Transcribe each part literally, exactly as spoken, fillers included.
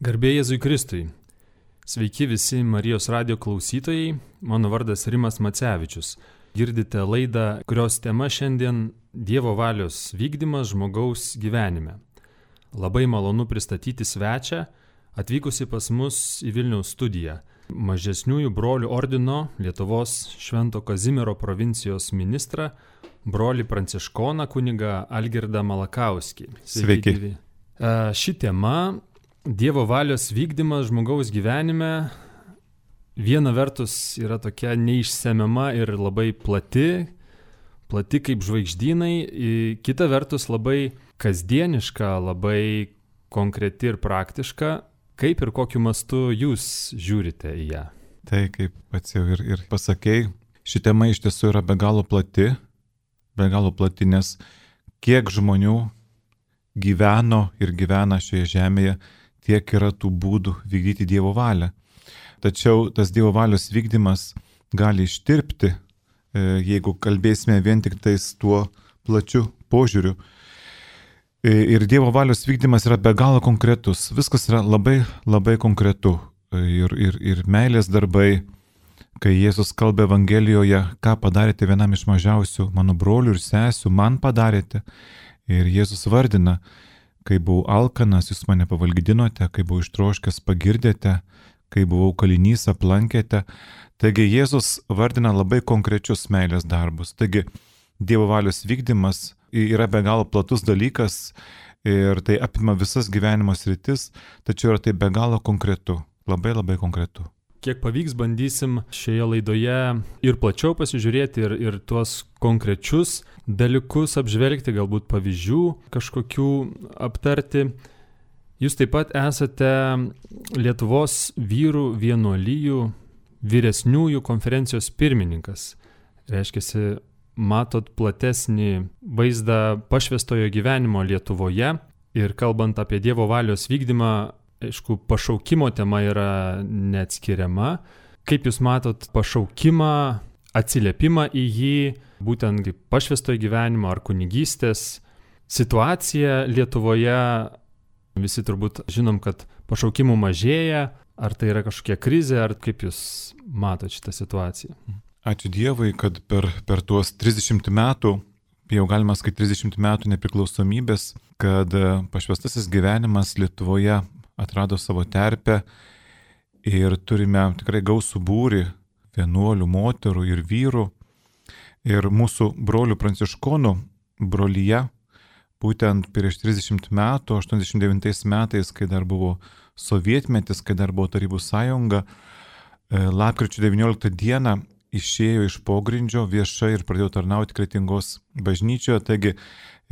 Garbė Jėzui Kristui. Sveiki visi Marijos radijo klausytojai, mano vardas Rimas Macevičius. Girdite laidą, kurios tema šiandien Dievo valios vykdymas žmogaus gyvenime. Labai malonu pristatyti svečią, atvykusi pas mus į Vilniaus studiją. Mažesniųjų brolių ordino Lietuvos Švento Kazimiero provincijos ministrą, brolį pranciškoną kunigą Algirdą Malakauskį. Sveiki. Sveiki. Ši tema Dievo valios vykdymas žmogaus gyvenime viena vertus yra tokia neišsemiama ir labai plati, plati kaip žvaigždynai, kita vertus labai kasdieniška, labai konkreti ir praktiška. Kaip ir kokiu mastu jūs žiūrite į ją? Tai kaip pats jau ir, ir pasakei, ši tema iš tiesų yra be galo plati, be galo plati, nes kiek žmonių gyveno ir gyvena šioje žemėje, tiek yra tų būdų vykdyti Dievo valią. Tačiau tas Dievo valios vykdymas gali ištirpti, jeigu kalbėsime vien tik tais tuo plačiu požiūriu. Ir Dievo valios vykdymas yra be galo konkretus. Viskas yra labai, labai konkretu. Ir, ir, ir meilės darbai, kai Jėzus kalba Evangelijoje, ką padarėte vienam iš mažiausių mano brolių ir sesių, man padarėte. Ir Jėzus vardina, kai buvau alkanas, jūs mane pavalgydinote, kai buvau ištroškęs, pagirdėte, kai buvau kalinys, aplankėte. Taigi Jėzus vardina labai konkrečius meilės darbus. Taigi Dievo valios vykdymas yra be galo platus dalykas ir tai apima visas gyvenimo sritis, tačiau yra tai be galo konkretu, labai labai konkretu. Kiek pavyks, bandysim šioje laidoje ir plačiau pasižiūrėti ir, ir tuos konkrečius dalykus apžvelgti, galbūt pavyzdžių kažkokių aptarti. Jūs taip pat esate Lietuvos vyrų vienuolijų vyresniųjų konferencijos pirmininkas. Reiškiasi, matot platesnį vaizdą pašvęstojo gyvenimo Lietuvoje ir kalbant apie Dievo valios vykdymą, aišku, pašaukimo tema yra neatskiriama. Kaip jūs matot pašaukimą, atsiliepimą į jį, būtent kaip pašvęstojo gyvenimo ar kunigystės situacija Lietuvoje? Visi turbūt žinom, kad pašaukimų mažėja. Ar tai yra kažkokia krizė, ar kaip jūs matot šitą situaciją? Ačiū Dievui, kad per, per tuos trisdešimt metų, jau galima sakyti trisdešimt metų nepriklausomybės, kad pašvęstasis gyvenimas Lietuvoje atrado savo terpę ir turime tikrai gausų būrį vienuolių, moterų ir vyrų. Ir mūsų brolių pranciškonų brolyje, būtent prieš trisdešimt metų, aštuoniasdešimt devintais metais, kai dar buvo sovietmetis, kai dar buvo Tarybų sąjunga, lapkričio devynioliktą dieną išėjo iš pogrindžio viešai ir pradėjo tarnauti Kretingos bažnyčioje. Taigi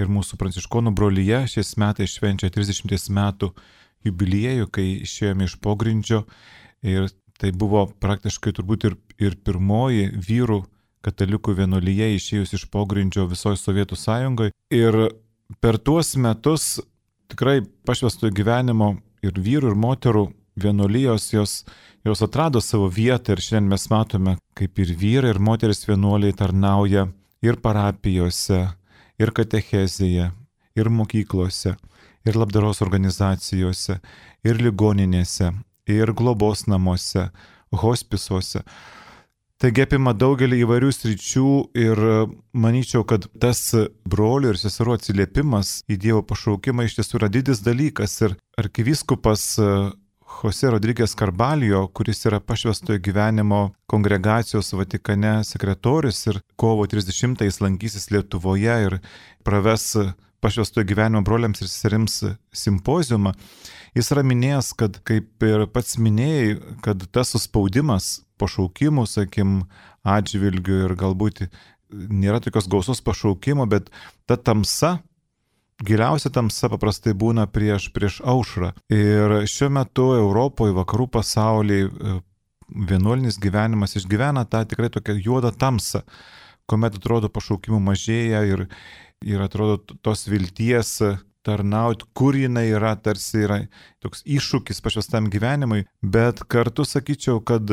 ir mūsų pranciškonų brolyje šiais metais švenčia trisdešimt metų jubiliejų, kai išėjome iš pogrindžio, ir tai buvo praktiškai turbūt ir, ir pirmoji vyrų katalikų vienuolyje išėjus iš pogrindžio visoje Sovietų sąjungoje. Ir per tuos metus tikrai pašvęstojo gyvenimo ir vyrų ir moterų vienuolijos jos, jos atrado savo vietą, ir šiandien mes matome, kaip ir vyrai ir moteris vienuoliai tarnauja ir parapijose, ir katechezėje, ir mokyklose, ir labdaros organizacijose, ir ligoninėse, ir globos namuose, hospisuose. Taigi apima daugelį įvairių sričių ir manyčiau, kad tas brolių ir seserų atsiliepimas į Dievo pašaukimą iš tiesų yra didis dalykas. Ir arkivyskupas Jose Rodriguez Carballo, kuris yra pašvęstojo gyvenimo kongregacijos Vatikane sekretorius ir kovo trisdešimtąją jis lankysis Lietuvoje ir praves pašvęstojo gyvenimo broliams ir seserims simpoziumą. Jis yra minėjęs, kad kaip ir pats minėjai, kad tas suspaudimas pašaukimų, sakim, atžvilgių ir galbūt nėra tokios gausos pašaukimo, bet ta tamsa, giliausia tamsa paprastai būna prieš, prieš aušrą. Ir šiuo metu Europoje, vakarų pasaulyje vienuolinis gyvenimas išgyvena tą tikrai tokią juodą tamsą, kuomet atrodo pašaukimų mažėja ir ir atrodo tos vilties tarnauti, kur jinai yra, tarsi yra toks iššūkis pašvęstam gyvenimui, bet kartu sakyčiau, kad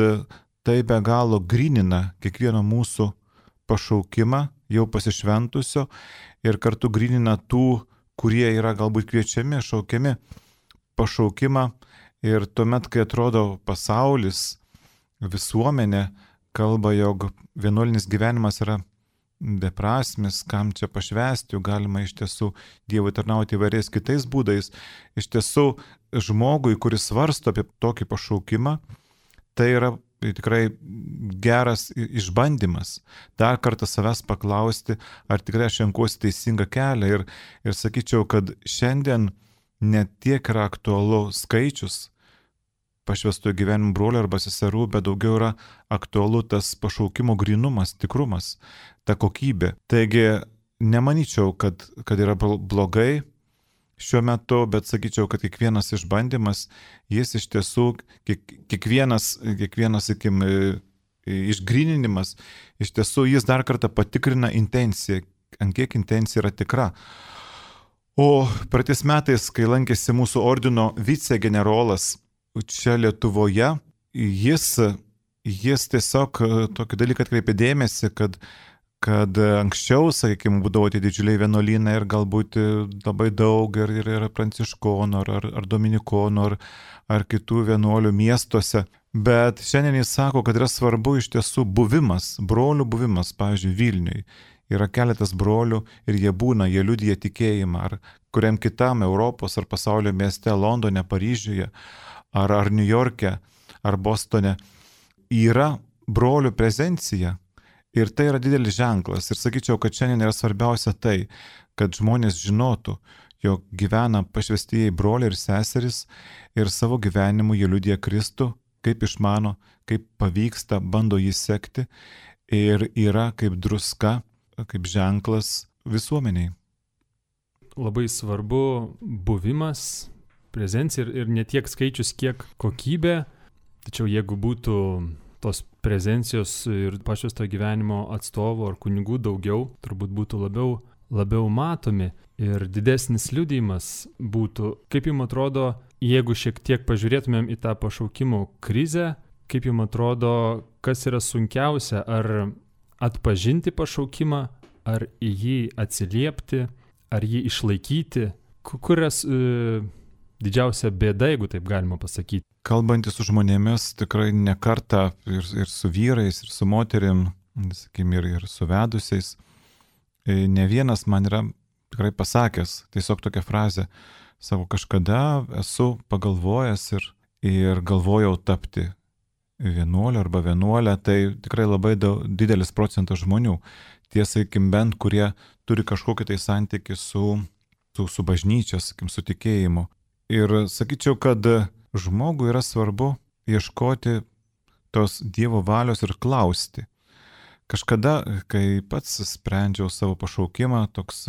tai be galo grynina kiekvieno mūsų pašaukimą jau pasišventusio ir kartu grynina tų, kurie yra galbūt kviečiami, šaukiami pašaukimą Ir tuomet, kai atrodo pasaulis, visuomenė kalba, jog vienuolinis gyvenimas yra beprasmis, kam čia pašvęsti, juk galima iš tiesų Dievui tarnauti įvairiais kitais būdais. Iš tiesų, žmogui, kuris svarsto apie tokį pašaukimą, tai yra tikrai geras išbandymas. Dar kartą savęs paklausti, ar tikrai aš renkuosi teisingą kelią. Ir, ir sakyčiau, kad šiandien ne tiek yra aktualu skaičius pašvęstojo gyvenimo brolių arba seserų, bet daugiau yra aktualu tas pašaukimo grynumas, tikrumas, ta kokybė. Taigi nemanyčiau, kad, kad yra blogai šiuo metu, bet sakyčiau, kad kiekvienas išbandymas, jis iš tiesų, kiek, kiekvienas, kiekvienas, sakim, išgryninimas, iš tiesų jis dar kartą patikrina intenciją, ant kiek intencija yra tikra. O praeitais metais, kai lankėsi mūsų ordino vicegenerolas čia Lietuvoje, jis, jis tiesiog tokį dalyką atkreipė dėmesį, kad, kad anksčiau, sakykime, būdavo tie didžiuliai vienuolynai ir galbūt labai daug ir, ir, ir pranciškonų, ar, ar dominikonų, ar, ar kitų vienuolių miestuose. Bet šiandien jis sako, kad yra svarbu iš tiesų buvimas, brolių buvimas, pavyzdžiui, Vilniui. Yra keletas brolių ir jie būna, jie liudija tikėjimą, ar kuriam kitam Europos ar pasaulio mieste, Londone, Paryžiuje, ar, ar New York'e, ar Bostone. Yra brolių prezencija ir tai yra didelis ženklas. Ir sakyčiau, kad šiandien yra svarbiausia tai, kad žmonės žinotų, jog gyvena pašvęstieji broliai ir seserys ir savo gyvenimu jie liudija Kristų, kaip išmano, kaip pavyksta, bando jį sekti ir yra kaip druska, kaip ženklas visuomeniai. Labai svarbu buvimas, prezencija ir, ir ne tiek skaičius, kiek kokybė. Tačiau jeigu būtų tos prezencijos ir pašvęsto gyvenimo atstovų ar kunigų daugiau, turbūt būtų labiau, labiau matomi ir didesnis liudijimas būtų. Kaip jums atrodo, jeigu šiek tiek pažiūrėtumėm į tą pašaukimo krizę, kaip jums atrodo, kas yra sunkiausia, ar atpažinti pašaukimą, ar į jį atsiliepti, ar jį išlaikyti, kurias e, didžiausia bėda, jeigu taip galima pasakyti. Kalbantis su žmonėmis, tikrai ne kartą ir, ir su vyrais, ir su moterim, sakykime, ir, ir su vedusiais, ne vienas man yra tikrai pasakęs tiesiog tokią frazę, savo kažkada esu pagalvojęs ir, ir galvojau tapti vienuolio arba vienuolę, tai tikrai labai daug, didelis procentas žmonių, tie, sakykim, bent kurie turi kažkokį tai santykį su, su, su bažnyčia, sakykim, su tikėjimu. Ir sakyčiau, kad žmogui yra svarbu ieškoti tos Dievo valios ir klausti. Kažkada, kai pats sprendžiau savo pašaukimą, toks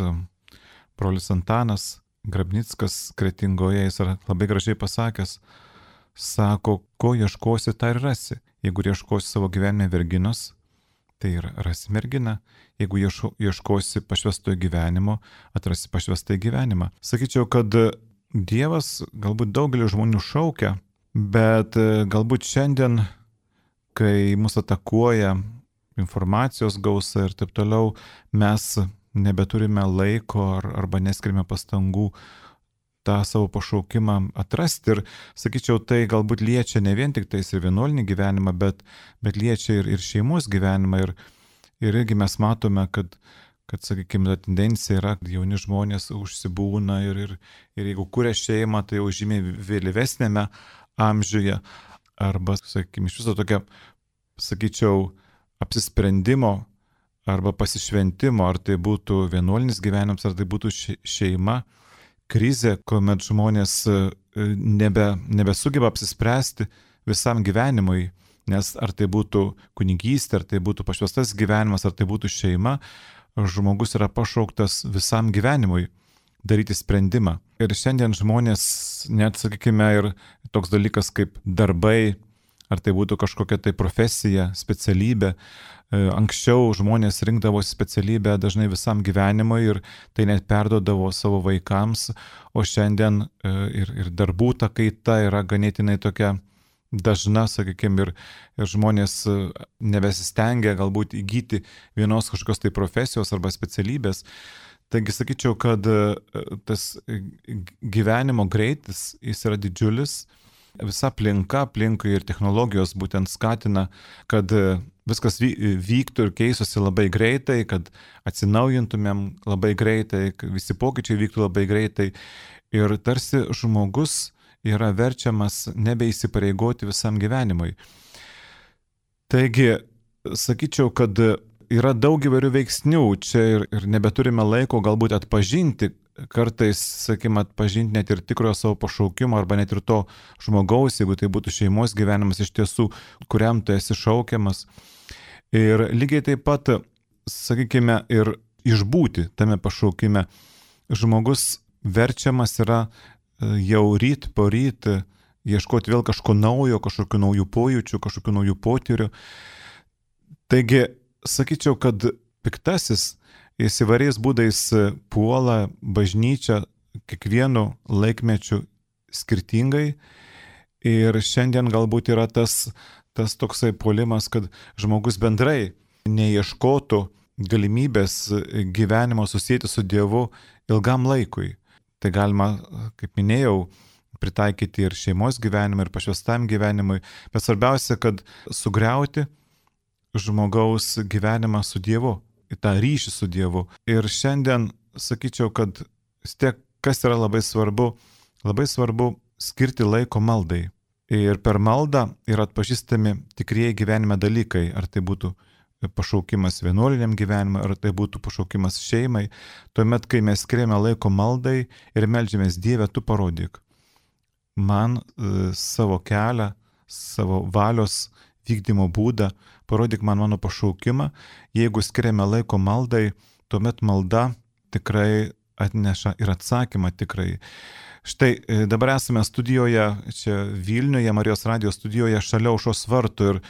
brolis Antanas Grabnickas Kretingoje, jis yra labai gražiai pasakęs, sako, ko ieškosi, tą ir rasi. Jeigu ieškosi savo gyvenime verginos, tai ir rasi merginą. Jeigu ieškosi pašvęstojo gyvenimo, atrasi pašvęstąjį gyvenimą. Sakyčiau, kad Dievas galbūt daugelį žmonių šaukia, bet galbūt šiandien, kai mus atakuoja informacijos gausa ir taip toliau, mes nebeturime laiko ar, arba neskirime pastangų tą savo pašaukimą atrasti. Ir sakyčiau, tai galbūt liečia ne vien tik tais ir vienuolinį gyvenimą, bet, bet liečia ir, ir šeimos gyvenimą. Ir, ir irgi mes matome, kad, kad sakykime, ta tendencija yra, kad jauni žmonės užsibūna ir, ir, ir jeigu kuria šeimą, tai jau žymiai vėlyvesnėme amžiuje. Arba, sakykime, iš viso tokia, sakyčiau, apsisprendimo arba pasišventimo, ar tai būtų vienuolinis gyvenimas, ar tai būtų šeima, krizė, kuomet žmonės nebe, nebesugeba apsispręsti visam gyvenimui, nes ar tai būtų kunigystė, ar tai būtų pašvęstas gyvenimas, ar tai būtų šeima, žmogus yra pašauktas visam gyvenimui daryti sprendimą. Ir šiandien žmonės, net sakykime, ir toks dalykas kaip darbai, ar tai būtų kažkokia tai profesija, specialybė. Anksčiau žmonės rinkdavosi specialybę dažnai visam gyvenimui ir tai net perduodavo savo vaikams, o šiandien ir, ir darbų ta kaita yra ganėtinai tokia dažna, sakykime, ir, ir žmonės nebesistengia galbūt įgyti vienos kažkokios tai profesijos arba specialybės. Taigi sakyčiau, kad tas gyvenimo greitis, jis yra didžiulis visa aplinka, aplinkui ir technologijos būtent skatina, kad viskas vyktų ir keistųsi labai greitai, kad atsinaujintumėm labai greitai, kad visi pokyčiai vyktų labai greitai. Ir tarsi žmogus yra verčiamas nebeįsipareigoti visam gyvenimui. Taigi, sakyčiau, kad yra daug įvairių veiksnių čia ir, ir nebeturime laiko galbūt atpažinti, kartais, sakykime, atpažinti net ir tikrojo savo pašaukimo arba net ir to žmogaus, jeigu tai būtų šeimos gyvenimas iš tiesų, kuriam tu esi šaukiamas. Ir lygiai taip pat, sakykime, ir išbūti tame pašaukime. Žmogus verčiamas yra jau ryt po ryt ieškoti vėl kažko naujo, kažkokių naujų pojūčių, kažkokių naujų potyrių. Taigi, sakyčiau, kad piktasis jis įvairiais būdais puola bažnyčią kiekvienu laikmečiu skirtingai ir šiandien galbūt yra tas, tas toksai puolimas, kad žmogus bendrai neieškotų galimybės gyvenimo susijęti su Dievu ilgam laikui. Tai galima, kaip minėjau, pritaikyti ir šeimos gyvenimui, ir pašvęstam gyvenimui, bet svarbiausia, kad sugriauti žmogaus gyvenimą su Dievu, į tą ryšį su Dievu. Ir šiandien sakyčiau, kad vis tiek, kas yra labai svarbu, labai svarbu skirti laiko maldai. Ir per maldą yra atpažįstami tikrieji gyvenime dalykai, ar tai būtų pašaukimas vienuoliniam gyvenimui, ar tai būtų pašaukimas šeimai. Tuomet, kai mes skiriame laiko maldai ir meldžiamės, Dieve, tu parodyk man e, savo kelią, savo valios vykdymo būdą, parodyk man mano pašaukimą. Jeigu skiriame laiko maldai, tuomet malda tikrai atneša ir atsakymą tikrai. Štai dabar esame studijoje, čia Vilniuje, Marijos radijo studijoje, šalia Aušros vartų ir,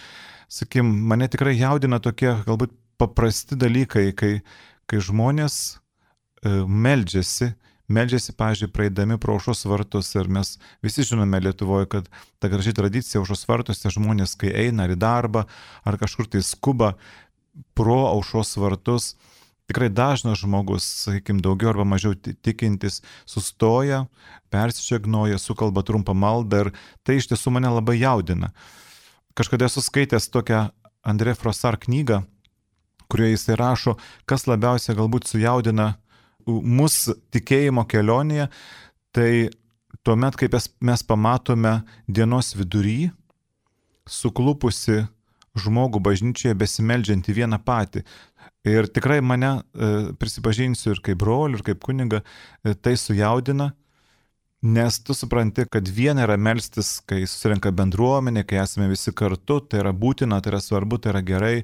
sakykim, mane tikrai jaudina tokie galbūt paprasti dalykai, kai, kai žmonės e, meldžiasi, meldžiasi, pavyzdžiui, praeidami pro Aušros vartus ir mes visi žinome Lietuvoje, kad ta graži tradicija Aušros vartuose žmonės, kai eina ar į darbą, ar kažkur tai skuba pro Aušros vartus, tikrai dažnas žmogus, sakykime, daugiau arba mažiau tikintis, sustoja, persižegnoja, sukalba trumpą maldą ir tai iš tiesų mane labai jaudina. Kažkada esu skaitęs tokią André Frossard knygą, kurioje jisai rašo, kas labiausiai galbūt sujaudina mūsų tikėjimo kelionėje, tai tuomet, kaip mes pamatome dienos vidury suklupusi žmogų bažnyčioje besimeldžiantį vieną patį. Ir tikrai mane, prisipažinsiu, ir kaip brolių, ir kaip kuniga, tai sujaudina, nes tu supranti, kad viena yra melstis, kai susirenka bendruomenė, kai esame visi kartu, tai yra būtina, tai yra svarbu, tai yra gerai,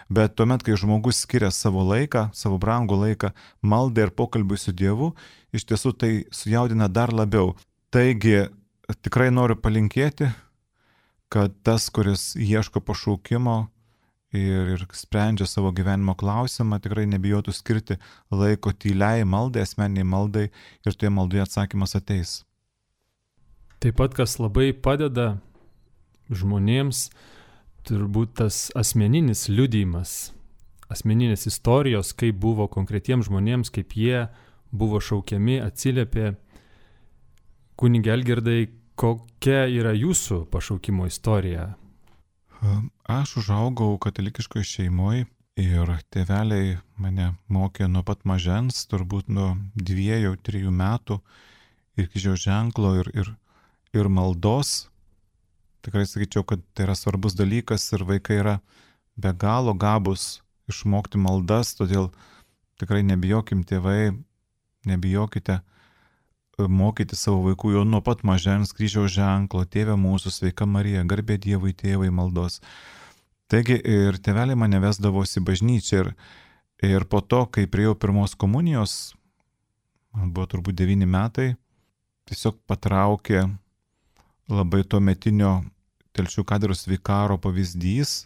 bet tuomet, kai žmogus skiria savo laiką, savo brangų laiką maldai ir pokalbiui su Dievu, iš tiesų tai sujaudina dar labiau. Taigi, tikrai noriu palinkėti, kad tas, kuris ieško pašaukimo ir, ir sprendžia savo gyvenimo klausimą, tikrai nebijotų skirti laiko tyliai maldai, asmeniniai maldai ir toje maldoje atsakymas ateis. Taip pat, kas labai padeda žmonėms, turbūt tas asmeninis liudijimas, asmeninės istorijos, kaip buvo konkretiems žmonėms, kaip jie buvo šaukiami, atsiliepė. Kunige Algirdai, kokia yra jūsų pašaukimo istorija? Aš užaugau katalikiškoje šeimoje ir tėveliai mane mokė nuo pat mažens, turbūt nuo dviejų, trijų metų ir kryžiaus ženklo ir, ir, ir maldos. Tikrai sakyčiau, kad tai yra svarbus dalykas ir vaikai yra be galo gabus išmokti maldas, todėl tikrai nebijokim tėvai, nebijokite mokyti savo vaikų jau nuo pat mažens kryžiaus ženklo, Tėve mūsų, sveika Marija, garbė Dievui tėvai maldos. Taigi ir tėveliai mane vesdavosi bažnyčią ir, ir po to, kai priėjau pirmos komunijos, man buvo turbūt devyni metai, tiesiog patraukė labai tuometinio Telšių katedros vikaro pavyzdys,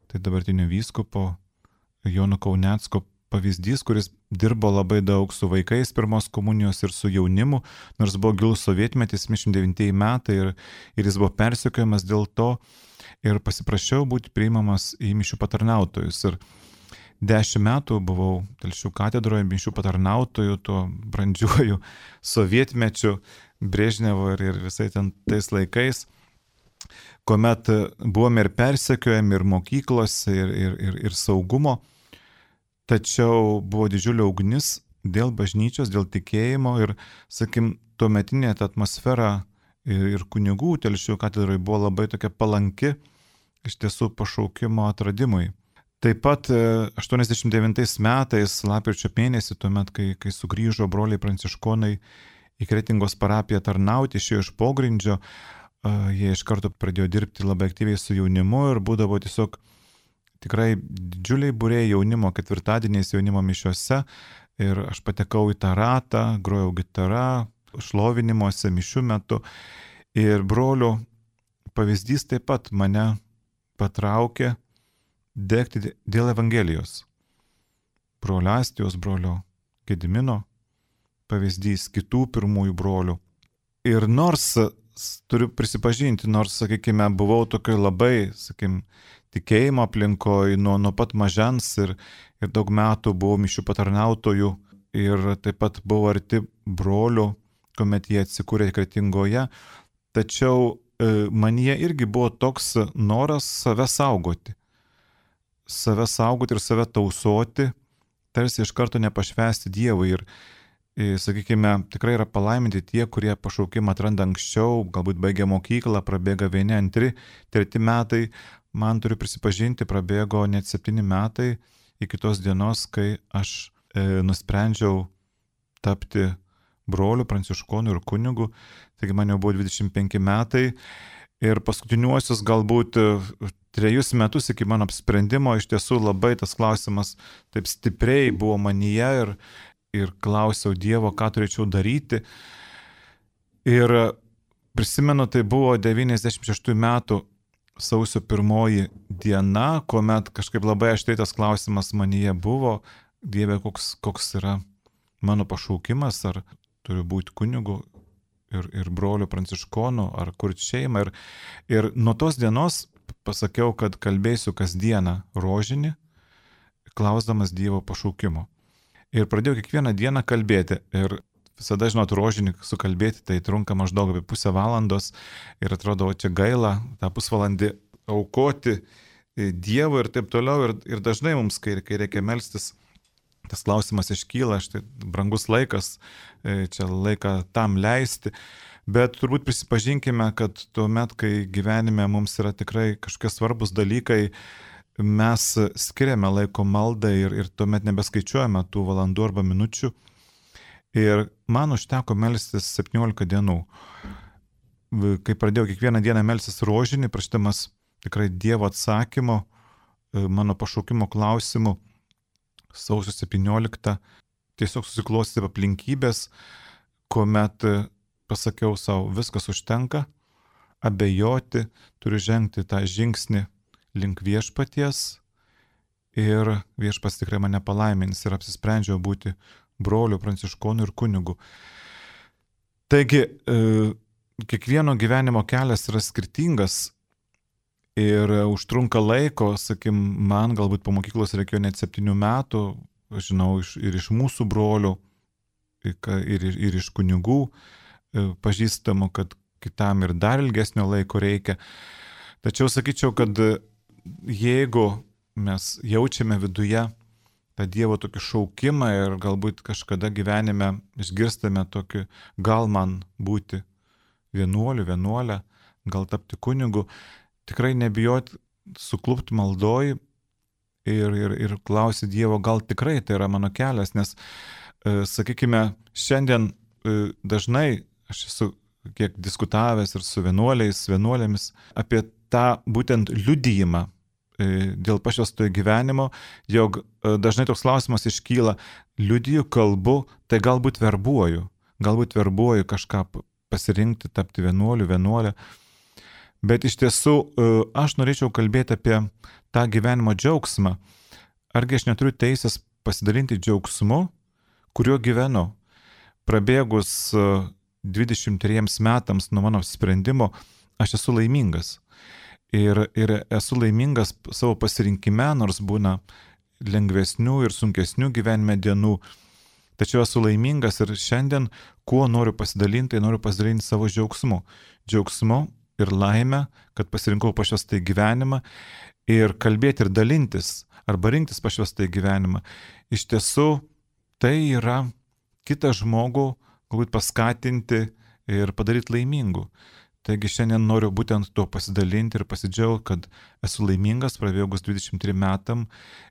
tai dabartinio vyskupo Jono Kaunecko pavyzdys, kuris dirbo labai daug su vaikais pirmos komunijos ir su jaunimu, nors buvo gilus sovietmetis, septyniasdešimt devintieji metai ir, ir jis buvo persekiojamas dėl to ir pasiprašiau būti priimamas į mišių patarnautojus. Ir dešimt metų buvau Telšių katedroje mišių patarnautojų, tuo brandžiuoju sovietmečiu, Brežnevo ir, ir visai ten tais laikais. kuomet buvome ir persekiojami, ir mokyklose, ir, ir, ir, ir saugumo, tačiau buvo didžiulė ugnis dėl bažnyčios, dėl tikėjimo ir, sakim, tuometinė ta atmosfera ir, ir kunigų Telšių katedroje buvo labai tokia palanki iš tiesų pašaukimo atradimui. Taip pat aštuoniasdešimt devintais metais, lapkričio mėnesį, tuomet, kai, kai sugrįžo broliai pranciškonai į Kretingos parapiją tarnauti, išėjo iš pogrindžio, jie iš karto pradėjo dirbti labai aktyviai su jaunimu ir būdavo tiesiog tikrai didžiuliai būriai jaunimo, ketvirtadieniais jaunimo mišiuose ir aš patekau į tą ratą, grojau gitarą, šlovinimuose, mišių metu ir brolių pavyzdys taip pat mane patraukė degti dėl Evangelijos. Brolio Astijos, brolio Gedimino pavyzdys, kitų pirmųjų brolių. Ir nors, turiu prisipažinti, nors, sakykime, buvau tokioj labai, sakykime, tikėjimo aplinkoje nuo, nuo pat mažens ir, ir daug metų buvau mišių patarnautojų ir taip pat buvau arti brolių, kuomet jie atsikūrė Kretingoje, tačiau e, manyje irgi buvo toks noras save saugoti. Save saugoti ir save tausoti, tarsi iš karto nepašvęsti Dievui. Ir, sakykime, tikrai yra palaiminti tie, kurie pašaukimą atranda anksčiau, galbūt baigia mokyklą, prabėga vieni, antri, treti metai. Man, turiu prisipažinti, prabėgo net septyni metai iki tos dienos, kai aš e, nusprendžiau tapti broliu, pranciškonu ir kunigu. Taigi man jau buvo dvidešimt penki metai. Ir paskutiniuosius galbūt trejus metus iki mano apsprendimo iš tiesų labai tas klausimas taip stipriai buvo manyje ir, ir klausiau Dievo, ką turėčiau daryti. Ir prisimenu, tai buvo devyniasdešimt šeštųjų metų sausio pirmoji diena, kuomet kažkaip labai aštriai tas klausimas manyje buvo, Dieve, koks, koks yra mano pašaukimas, ar turiu būti kunigu ir, ir broliu pranciškonu, ar kurti šeimą. Ir, ir nuo tos dienos pasakiau, kad kalbėsiu kasdieną rožinį, klausdamas Dievo pašaukimo. Ir pradėjau kiekvieną dieną kalbėti. Ir visada, žinot, rožinį sukalbėti, tai trunka maždaug apie pusę valandos. Ir atrodo, čia gaila tą pusvalandį aukoti Dievui ir taip toliau. Ir, ir dažnai mums, kai, kai reikia melstis, tas klausimas iškyla, štai brangus laikas, čia laiką tam leisti. Bet turbūt prisipažinkime, kad tuomet, kai gyvenime mums yra tikrai kažkokie svarbus dalykai, mes skiriame laiko maldai ir, ir tuomet nebeskaičiuojame tų valandų arba minučių. Ir man užteko melstis septyniolika dienų. Kai pradėjau kiekvieną dieną melstis rožinį, prašydamas tikrai Dievo atsakymo, mano pašaukimo klausimų, sausio septynioliktą tiesiog susiklostė aplinkybės, kuomet pasakiau savo, viskas užtenka, abejoti, turiu žengti tą žingsnį link viešpaties ir viešpats tikrai mane palaimins ir apsisprendžiau būti broliu, pranciškonu ir kunigu. Taigi, kiekvieno gyvenimo kelias yra skirtingas ir užtrunka laiko, sakim, man galbūt po mokyklos reikėjo net septynių metų, žinau, ir iš mūsų brolių, ir, ir, ir iš kunigų pažįstamų, kad kitam ir dar ilgesnio laiko reikia. Tačiau sakyčiau, kad jeigu mes jaučiame viduje tą Dievo tokį šaukimą ir galbūt kažkada gyvenime išgirstame tokį, gal man būti vienuoliu, vienuolę, gal tapti kunigu, tikrai nebijot suklupti maldoj ir, ir, ir klausyti Dievo, gal tikrai tai yra mano kelias, nes, e, sakykime, šiandien e, dažnai aš esu kiek diskutavęs ir su vienuoliais, vienuolėmis apie tą būtent liudijimą e, dėl pašvęstojo gyvenimo, jog e, dažnai toks klausimas iškyla, liudiju, kalbu, tai galbūt verbuoju, galbūt verbuoju kažką pasirinkti, tapti vienuoliu, vienuolę. Bet iš tiesų aš norėčiau kalbėti apie tą gyvenimo džiaugsmą. Argi aš neturiu teisės pasidalinti džiaugsmu, kuriuo gyvenu. Prabėgus dvidešimt trejiems metams nuo mano sprendimo, aš esu laimingas. Ir, ir esu laimingas savo pasirinkime, nors būna lengvesnių ir sunkesnių gyvenime dienų. Tačiau esu laimingas ir šiandien, kuo noriu pasidalinti, tai noriu pasidalinti savo džiaugsmu. Džiaugsmu ir laimę, kad pasirinkau pašvestąjį gyvenimą ir kalbėti ir dalintis arba rinktis pašvestąjį gyvenimą. Iš tiesų tai yra kitą žmogų galbūt paskatinti ir padaryti laimingu. Taigi šiandien noriu būtent tuo pasidalinti ir pasidžiaugti, kad esu laimingas prabėgus dvidešimt trim metam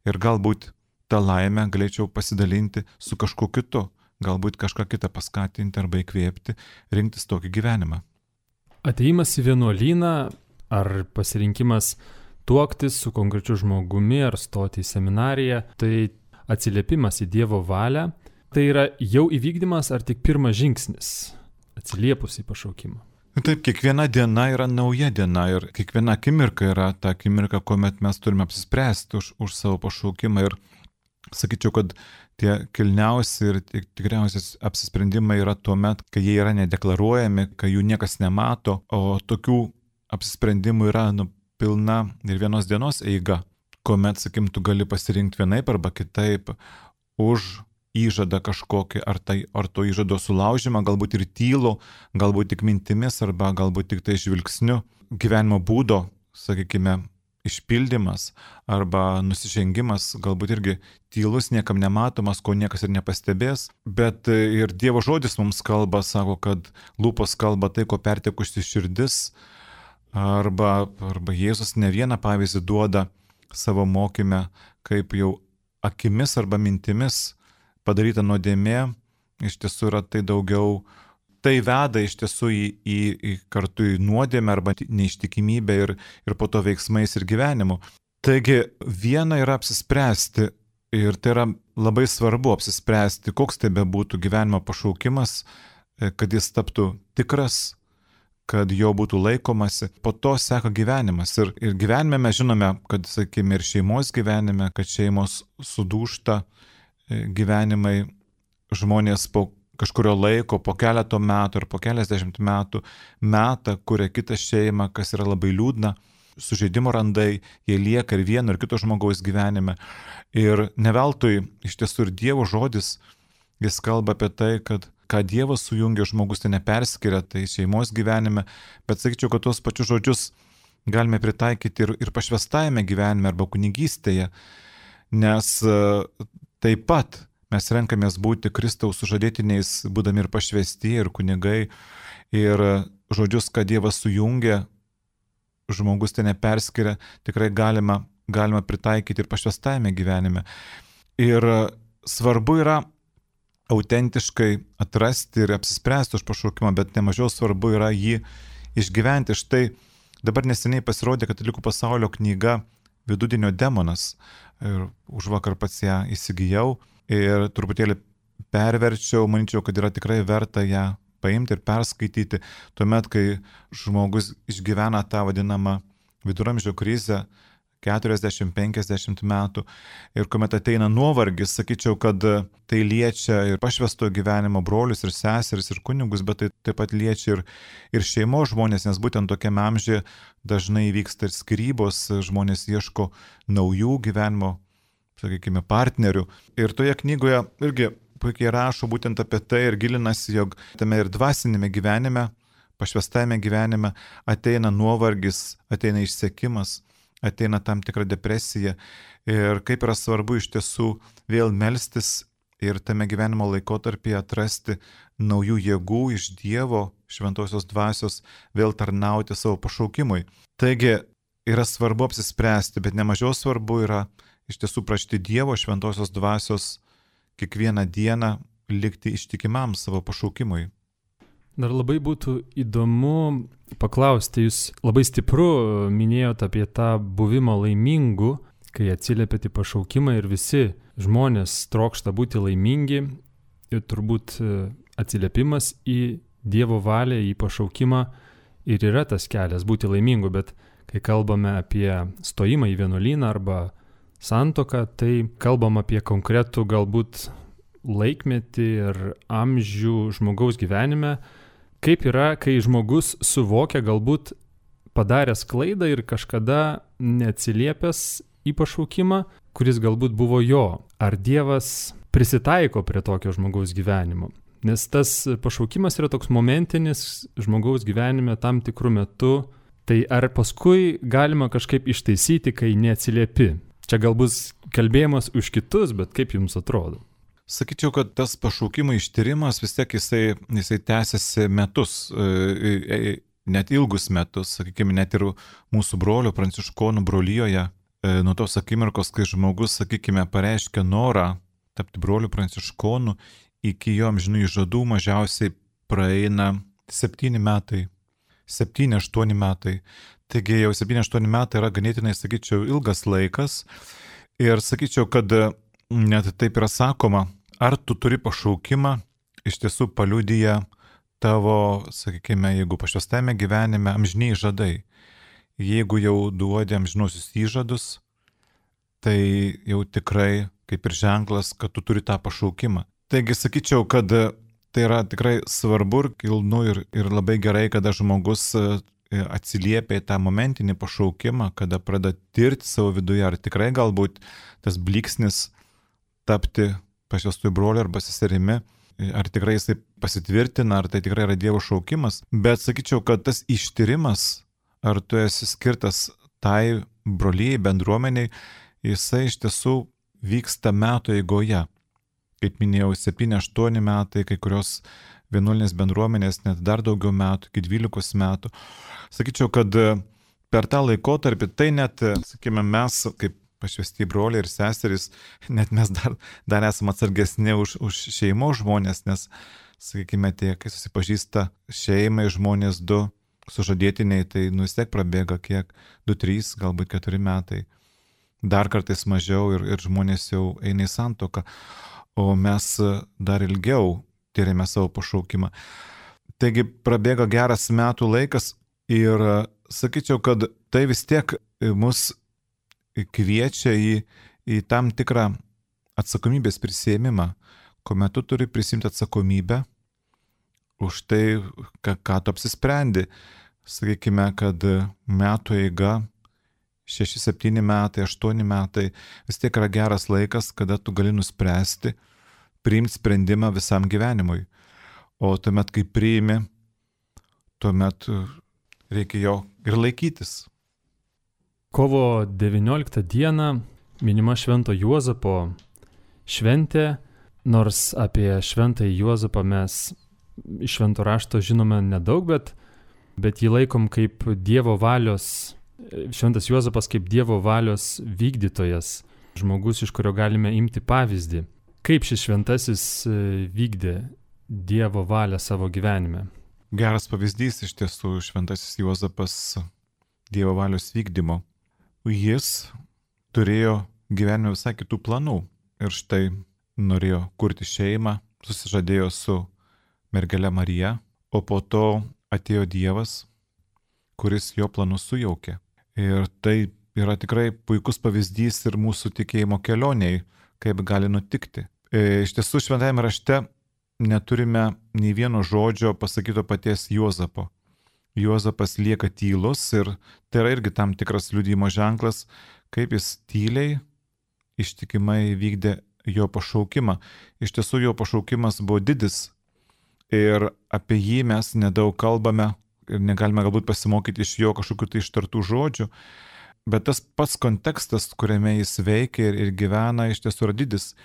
ir galbūt tą laimę galėčiau pasidalinti su kažkuo kitu, galbūt kažką kitą paskatinti arba įkvėpti, rinktis tokį gyvenimą. Atėjimas į vienuolyną ar pasirinkimas tuoktis su konkrečiu žmogumi ar stoti į seminariją, tai atsiliepimas į Dievo valią, tai yra jau įvykdymas ar tik pirmas žingsnis atsiliepus į pašaukimą? Taip, kiekviena diena yra nauja diena ir kiekviena akimirka yra ta akimirka, kuomet mes turime apsispręsti už, už savo pašaukimą ir sakyčiau, kad tie kilniausi ir tikriausias apsisprendimai yra tuo met, kai jie yra nedeklaruojami, kai jų niekas nemato, o tokių apsisprendimų yra nu, pilna ir vienos dienos eiga, kuomet, sakim, tu gali pasirinkti vienaip arba kitaip už įžadą kažkokį, ar, tai, ar to įžado sulaužymą, galbūt ir tylų, galbūt tik mintimis, arba galbūt tik tai žvilgsniu, gyvenimo būdo, sakykime, išpildymas, arba nusižengimas, galbūt irgi tylus, niekam nematomas, ko niekas ir nepastebės, bet ir Dievo žodis mums kalba, sako, kad lūpos kalba tai, ko pertekusi širdis, arba, arba Jėzus ne vieną pavyzdį duoda savo mokyme, kaip jau akimis arba mintimis padaryta nuodėmė, iš tiesų yra tai daugiau, tai veda iš tiesų į, į, į kartu į nuodėmę arba neištikimybę ir, ir po to veiksmais ir gyvenimu. Taigi viena yra apsispręsti ir tai yra labai svarbu apsispręsti, koks tai bebūtų gyvenimo pašaukimas, kad jis taptų tikras, kad jo būtų laikomasi, po to seka gyvenimas. Ir, ir gyvenime mes žinome, kad, sakykime, ir šeimos gyvenime, kad šeimos sudūžta, gyvenimai, žmonės po kažkurio laiko, po keleto metų ar po keliasdešimt metų metą kuria kitą šeimą, kas yra labai liūdna, sužeidimo randai, jie lieka ir vieno ir kito žmogaus gyvenime. Ir neveltui iš tiesų ir Dievo žodis, jis kalba apie tai, kad ką Dievas sujungia, žmogus tai neperskiria, tai šeimos gyvenime, bet sakyčiau, kad tuos pačius žodžius galime pritaikyti ir, ir pašvestajame gyvenime arba kunigystėje, nes taip pat mes renkamės būti Kristaus sužadėtiniais, būdami ir pašvesti, ir kunigai, ir žodžius, kad Dievas sujungia, žmogus tai neperskiria, tikrai galima, galima pritaikyti ir pašvestajame gyvenime. Ir svarbu yra autentiškai atrasti ir apsispręsti už pašaukimą, bet nemažiau svarbu yra jį išgyventi. Štai dabar neseniai pasirodė Katalikų pasaulio knyga Vidudienio demonas. Ir už vakar pats ją įsigijau ir truputėlį perverčiau, manyčiau, kad yra tikrai verta ją paimti ir perskaityti, tuomet, kai žmogus išgyvena tą vadinamą viduramžių krizę, keturiasdešimt penkiasdešimt metų, ir kuomet ateina nuovargis, sakyčiau, kad tai liečia ir pašvesto gyvenimo brolius ir seseris ir kunigus, bet tai taip pat liečia ir, ir šeimos žmonės, nes būtent tokiame amžiuje dažnai vyksta ir skyrybos, žmonės ieško naujų gyvenimo, sakykime, partnerių. Ir toje knygoje irgi puikiai rašo būtent apie tai ir gilinasi, jog tame ir dvasinėme gyvenime, pašvestajame gyvenime ateina nuovargis, ateina išsekimas, ateina tam tikra depresija ir kaip yra svarbu iš tiesų vėl melstis ir tame gyvenimo laikotarpyje atrasti naujų jėgų iš Dievo šventosios dvasios, vėl tarnauti savo pašaukimui. Taigi yra svarbu apsispręsti, bet nemažiau svarbu yra iš tiesų prašyti Dievo šventosios dvasios kiekvieną dieną likti ištikimam savo pašaukimui. Dar labai būtų įdomu paklausti, jūs labai stipru minėjote apie tą buvimą laimingu, kai atsiliepėte į pašaukimą ir visi žmonės trokšta būti laimingi ir turbūt atsiliepimas į Dievo valią, į pašaukimą ir yra tas kelias būti laimingu, bet kai kalbame apie stojimą į vienuolyną arba santuoką, tai kalbam apie konkretų galbūt laikmetį ir amžių žmogaus gyvenime. Kaip yra, kai žmogus suvokia galbūt padaręs klaidą ir kažkada neatsiliepęs į pašaukimą, kuris galbūt buvo jo. Ar Dievas prisitaiko prie tokio žmogaus gyvenimo? Nes tas pašaukimas yra toks momentinis žmogaus gyvenime tam tikrų metų. Tai ar paskui galima kažkaip ištaisyti, kai neatsiliepi? Čia galbūt kalbėjimas už kitus, bet kaip jums atrodo? Sakyčiau, kad tas pašaukimo ištyrimas vis tiek jisai, jisai tęsiasi metus, net ilgus metus, sakykime, net ir mūsų brolio pranciškonų brolijoje, nuo tos akimirkos, kai žmogus, sakykime, pareiškia norą tapti broliu pranciškonu, iki jo amžinų įžadų mažiausiai praeina septyni metai, septyni, aštuoni metai. Taigi jau septyni, aštuoni metai yra ganėtinai, sakyčiau, ilgas laikas ir sakyčiau, kad net taip yra sakoma, ar tu turi pašaukimą, iš tiesų paliudyja tavo, sakykime, jeigu pašvęstame gyvenime, amžiniai žadai. Jeigu jau duodi amžinuosius įžadus, tai jau tikrai kaip ir ženklas, kad tu turi tą pašaukimą. Taigi sakyčiau, kad tai yra tikrai svarbu ir kilnu ir, ir labai gerai, kada žmogus atsiliepia į tą momentinį pašaukimą, kada pradeda tirti savo viduje, ar tikrai galbūt tas blyksnis tapti pašvęstųjų broliu arba seserimi, ar tikrai jisai pasitvirtina, ar tai tikrai yra Dievo šaukimas. Bet sakyčiau, kad tas ištyrimas, ar tu esi skirtas tai brolijai, bendruomeniai, jisai iš tiesų vyksta metų eigoje. Kaip minėjau, septyni aštuoni metai, kai kurios vienuolinės bendruomenės net dar daugiau metų, iki dvylikos metų. Sakyčiau, kad per tą laikotarpį tai net, sakykime, mes kaip pašvęsti broliai ir seserys, net mes dar, dar esame atsargesni už, už šeimos žmonės, nes, sakykime, tie, kai susipažįsta šeimai žmonės du sužadėtiniai, tai nu vis tiek prabėga kiek, du, trys, galbūt keturi metai, dar kartais mažiau ir, ir žmonės jau eina į santuoką, o mes dar ilgiau tyrėme savo pašaukimą. Taigi prabėga geras metų laikas ir sakyčiau, kad tai vis tiek mus kviečia į, į tam tikrą atsakomybės prisėmimą, kuomet tu turi prisimti atsakomybę už tai, ką, ką tu apsisprendi. Sakykime, kad metų eiga, šeši, septyni metai, aštuoni metai, vis tiek yra geras laikas, kada tu gali nuspręsti, priimti sprendimą visam gyvenimui. O tuomet, kai priimi, tuomet reikia jo ir laikytis. Kovo devynioliktą dieną minima Švento Juozapo šventė, nors apie Šventąjį Juozapą mes iš Švento rašto žinome nedaug, bet, bet jį laikom kaip Dievo valios, Šventas Juozapas kaip Dievo valios vykdytojas, žmogus, iš kurio galime imti pavyzdį. Kaip šis šventasis vykdė Dievo valią savo gyvenime? Geras pavyzdys iš tiesų Šventasis Juozapas Dievo valios vykdymo. Jis turėjo gyvenime visai kitų planų ir štai norėjo kurti šeimą, susižadėjo su mergele Marija, o po to atėjo Dievas, kuris jo planus sujaukė. Ir tai yra tikrai puikus pavyzdys ir mūsų tikėjimo kelioniai, kaip gali nutikti. Iš tiesų šventajame rašte neturime nei vieno žodžio pasakyto paties Juozapo. Juozapas lieka tylus ir tai yra irgi tam tikras liudijimo ženklas, kaip jis tyliai, ištikimai vykdė jo pašaukimą. Iš tiesų jo pašaukimas buvo didis ir apie jį mes nedaug kalbame ir negalime galbūt pasimokyti iš jo kažkokių tai ištartų žodžių, bet tas pats kontekstas, kuriame jis veikia ir, ir gyvena, iš tiesų yra didis.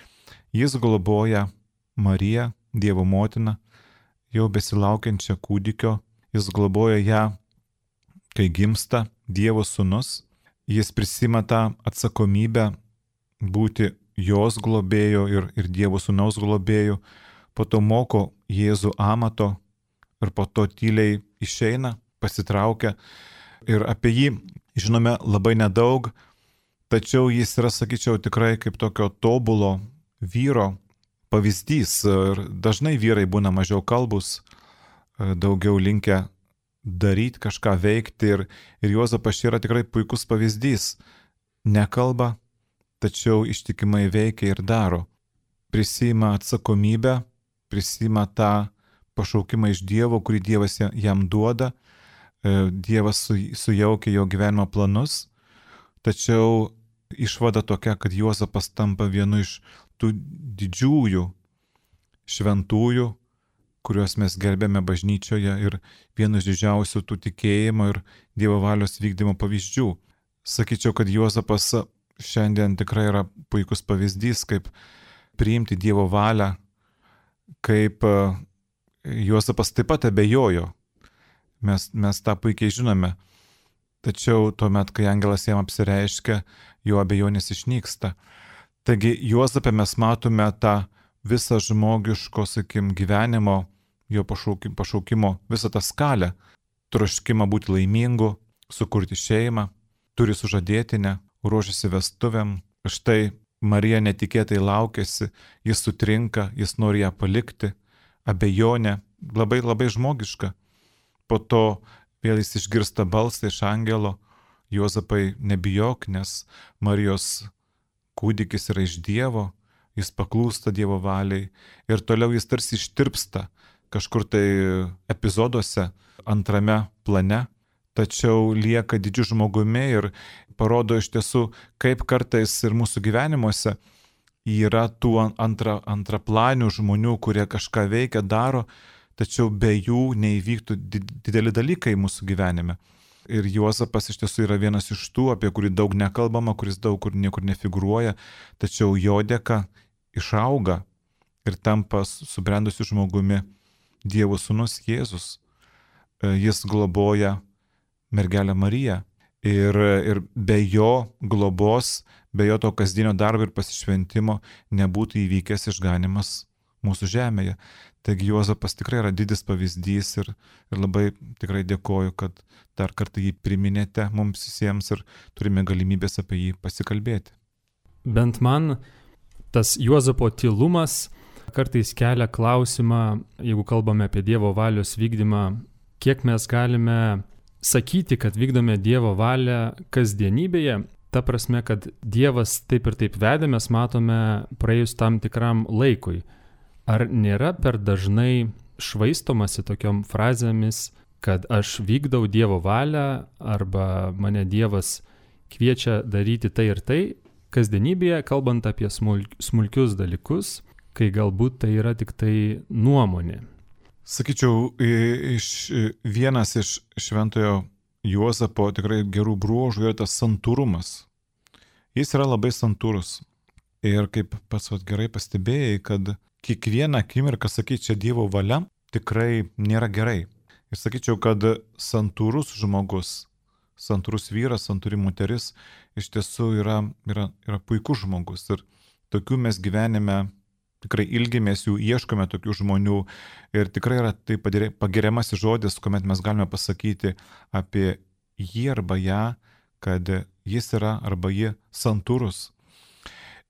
Jis globoja Mariją, Dievo motiną, jau besilaukiančią kūdikio. Jis globoja ją, kai gimsta Dievo sūnus. Jis prisima tą atsakomybę būti jos globėjo ir, ir Dievo sūnaus globėjų. Po to moko Jėzų amato ir po to tyliai išeina, pasitraukia. Ir apie jį žinome labai nedaug, tačiau jis yra, sakyčiau, tikrai kaip tokio tobulo vyro pavyzdys. Ir dažnai vyrai būna mažiau kalbūs, daugiau linkę daryti, kažką veikti ir, ir Juozapas yra tikrai puikus pavyzdys. Nekalba, tačiau ištikimai veikia ir daro. Prisima atsakomybę, prisima tą pašaukimą iš Dievo, kurį Dievas jam duoda. Dievas su, sujaukia jo gyvenimo planus, tačiau išvada tokia, kad Juozapas tampa vienu iš tų didžiųjų šventųjų, kuriuos mes gerbėme bažnyčioje ir vienas didžiausių tų tikėjimo ir Dievo valios vykdymo pavyzdžių. Sakyčiau, kad Juozapas šiandien tikrai yra puikus pavyzdys, kaip priimti Dievo valią, kaip Juozapas taip pat abejojo. Mes, mes tą puikiai žinome. Tačiau tuomet, kai angelas jam apsireiškia, jo abejonės išnyksta. Taigi Juozapė mes matome tą visą žmogiško, sakim, gyvenimo, jo pašaukimo, pašaukimo visą tą skalę. Troškimą būti laimingu, sukurti šeimą, turi sužadėtinę, ruošiasi vestuvėm. Štai Marija netikėtai laukėsi, jis sutrinka, jis nori ją palikti, abejonė, labai labai žmogiška. Po to vėl jis išgirsta balsą iš angelo, Juozapai nebijok, nes Marijos kūdikis yra iš Dievo, jis paklūsta Dievo valiai ir toliau jis tarsi ištirpsta kažkur tai epizoduose antrame plane, tačiau lieka didžiu žmogumi ir parodo iš tiesų, kaip kartais ir mūsų gyvenimuose yra tų antra, antraplanių žmonių, kurie kažką veikia, daro, tačiau be jų neįvyktų dideli dalykai mūsų gyvenime. Ir Juozapas iš tiesų yra vienas iš tų, apie kurį daug nekalbama, kuris daug kur niekur nefigūruoja, tačiau jo dėka išauga ir tampa subrendusiu žmogumi Dievo sūnus Jėzus. Jis globoja mergelę Mariją ir, ir be jo globos, be jo to kasdienio darbo ir pasišventimo nebūtų įvykęs išganimas mūsų žemėje. Taigi Juozapas tikrai yra didis pavyzdys ir, ir labai tikrai dėkoju, kad dar kartą jį priminėte mums visiems ir turime galimybės apie jį pasikalbėti. Bent man tas Juozapo tylumas kartais kelia klausimą, jeigu kalbame apie Dievo valios vykdymą, kiek mes galime sakyti, kad vykdome Dievo valią kasdienybėje, ta prasme, kad Dievas taip ir taip vedė, mes matome praėjus tam tikram laikui. Ar nėra per dažnai švaistomasi tokiom frazėmis, kad aš vykdau Dievo valią arba mane Dievas kviečia daryti tai ir tai, kasdienybėje, kalbant apie smulkius dalykus, kai galbūt tai yra tik tai nuomonė? Sakyčiau, iš, vienas iš šventojo Juozapo tikrai gerų bruožų yra tas santūrumas. Jis yra labai santūrus. Ir kaip pats vat, gerai pastebėjai, kad kiekvieną akimirką sakyti čia Dievo valia tikrai nėra gerai. Ir sakyčiau, kad santūrus žmogus, santūrus vyras, santūri moteris iš tiesų yra, yra, yra puikus žmogus. Ir tokių mes gyvenime tikrai ilgimės jų, ieškome tokių žmonių. Ir tikrai yra tai pagiriamasis žodis, kuomet mes galime pasakyti apie jį arba ją, kad jis yra arba ji santūrus.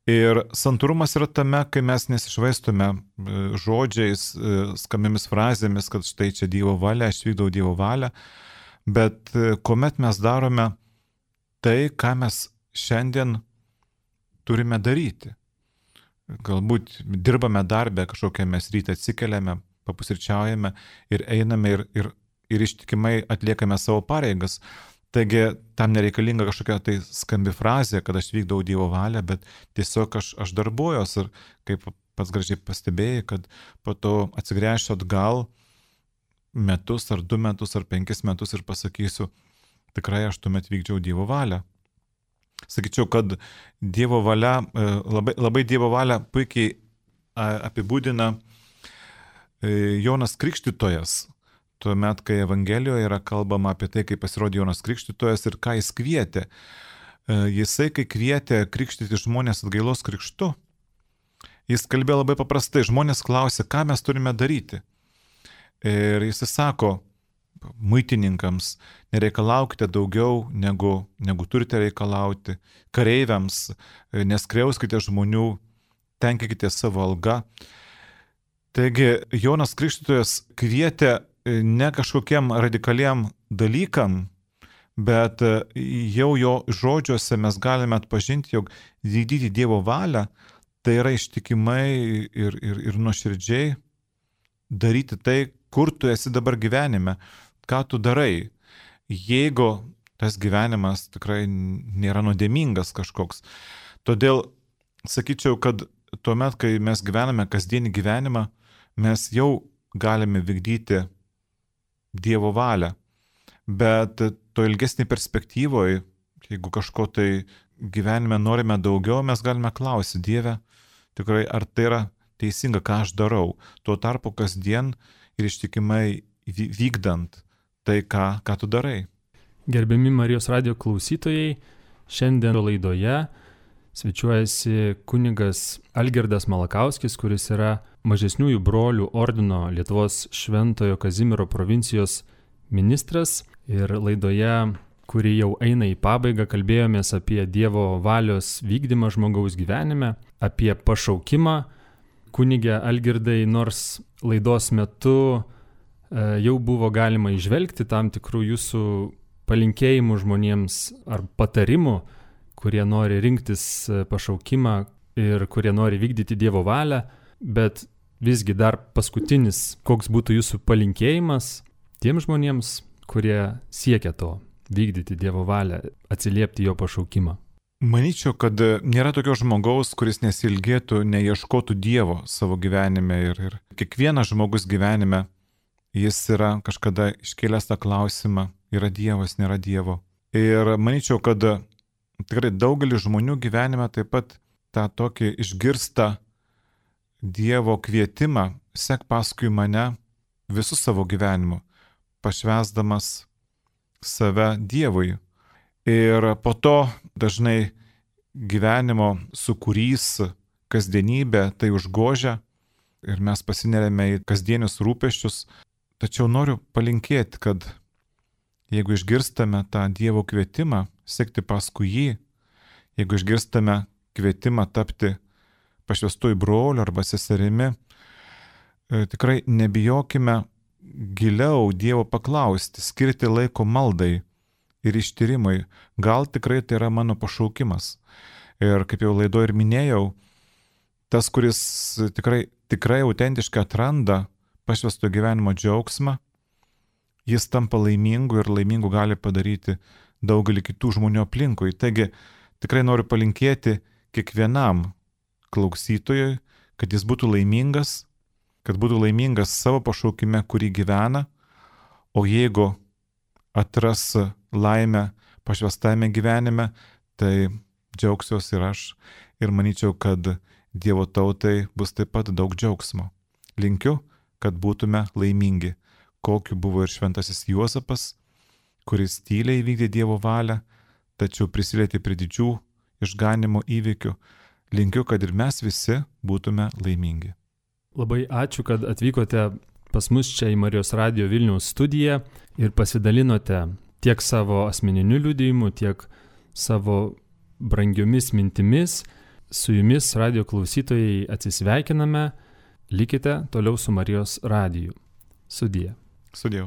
Ir santūrumas yra tame, kai mes nesišvaistome žodžiais, skambiomis frazėmis, kad štai čia Dievo valia, aš vykdau Dievo valią, bet kuomet mes darome tai, ką mes šiandien turime daryti. Galbūt dirbame darbę, kažkokią mes ryte atsikeliame, papusryčiaujame ir einame ir, ir, ir ištikimai atliekame savo pareigas. Taigi tam nereikalinga kažkokia tai skambi frazė, kad aš vykdau Dievo valią, bet tiesiog aš, aš darbuojos ir kaip pats gražiai pastebėjai, kad po to atsigręšiu atgal metus ar du metus ar penkis metus ir pasakysiu, tikrai aš tuomet vykdžiau Dievo valią. Sakyčiau, kad Dievo valia, labai, labai Dievo valią puikiai apibūdina Jonas Krikštytojas. Tuomet, kai Evangelijoje yra kalbama apie tai, kaip pasirodė Jonas Krikštytojas ir ką jis kvietė. Jisai, kai kvietė krikštyti žmonės atgailos krikštu, jis kalbėjo labai paprastai. Žmonės klausė, ką mes turime daryti. Ir jis sako muitininkams, nereikalaukite daugiau, negu, negu turite reikalauti. Kareiviams, neskriauskite žmonių, tenkikite savo algą. Taigi, Jonas Krikštytojas kvietė ne kažkokiem radikaliem dalykam, bet jau jo žodžiuose mes galime atpažinti, jog vykdyti Dievo valią, tai yra ištikimai ir, ir, ir nuoširdžiai daryti tai, kur tu esi dabar gyvenime, ką tu darai. Jeigu tas gyvenimas tikrai nėra nuodėmingas kažkoks. Todėl sakyčiau, kad tuomet, kai mes gyvename kasdienį gyvenimą, mes jau galime vykdyti Dievo valią. Bet to ilgesnį perspektyvoje, jeigu kažko tai gyvenime norime daugiau, mes galime klausyti Dieve, tikrai ar tai yra teisinga, ką aš darau. Tuo tarpu kasdien ir ištikimai vykdant tai, ką, ką tu darai. Gerbiami Marijos radijo klausytojai, šiandien laidoje svečiuojasi kunigas Algirdas Malakauskis, kuris yra Mažesniųjų brolių ordino Lietuvos Šventojo Kazimiero provincijos ministras. Ir laidoje, kuri jau eina į pabaigą, kalbėjomės apie Dievo valios vykdymą žmogaus gyvenime, apie pašaukimą. Kunige Algirdai, nors laidos metu e, jau buvo galima įžvelgti tam tikrų jūsų palinkėjimų žmonėms ar patarimų, kurie nori rinktis pašaukimą ir kurie nori vykdyti Dievo valią, bet visgi dar paskutinis, koks būtų jūsų palinkėjimas tiems žmonėms, kurie siekia to, vykdyti Dievo valią, atsiliepti jo pašaukimą. Manyčiau, kad nėra tokio žmogaus, kuris nesilgėtų, neieškotų Dievo savo gyvenime. Ir, ir kiekvienas žmogus gyvenime, jis yra kažkada iškėlęs tą klausimą, yra Dievas, nėra Dievo. Ir manyčiau, kad tikrai daugelis žmonių gyvenime taip pat tą tokį išgirsta Dievo kvietimą, sek paskui mane visų savo gyvenimu, pašvęsdamas save Dievui. Ir po to dažnai gyvenimo sukūrys, kasdienybė tai užgožia ir mes pasineriame į kasdienius rūpesčius. Tačiau noriu palinkėti, kad jeigu išgirstame tą Dievo kvietimą, sekti paskui jį, jeigu išgirstame kvietimą tapti pašvęstuoju broliu arba seserimi, tikrai nebijokime giliau Dievo paklausti, skirti laiko maldai ir ištyrimui. Gal tikrai tai yra mano pašaukimas. Ir kaip jau laidoje ir minėjau, tas, kuris tikrai, tikrai autentiškai atranda pašvęsto gyvenimo džiaugsmą, jis tampa laimingu ir laimingu gali padaryti daugelį kitų žmonių aplinkui. Taigi tikrai noriu palinkėti kiekvienam klausytojui, kad jis būtų laimingas, kad būtų laimingas savo pašaukime, kurį gyvena, o jeigu atras laimę pašvęstame gyvenime, tai džiaugsiuosi ir aš ir manyčiau, kad Dievo tautai bus taip pat daug džiaugsmo. Linkiu, kad būtume laimingi, kokiu buvo ir šventasis Juozapas, kuris tyliai įvykdė Dievo valią, tačiau prisilietė prie didžių išganimo įvykių. Linkiu, kad ir mes visi būtume laimingi. Labai ačiū, kad atvykote pas mus čia į Marijos radijo Vilniaus studiją ir pasidalinote tiek savo asmeniniu liudijimu, tiek savo brangiomis mintimis. Su jumis radijo klausytojai atsisveikiname. Likite toliau su Marijos radiju. Sudie. Sudie.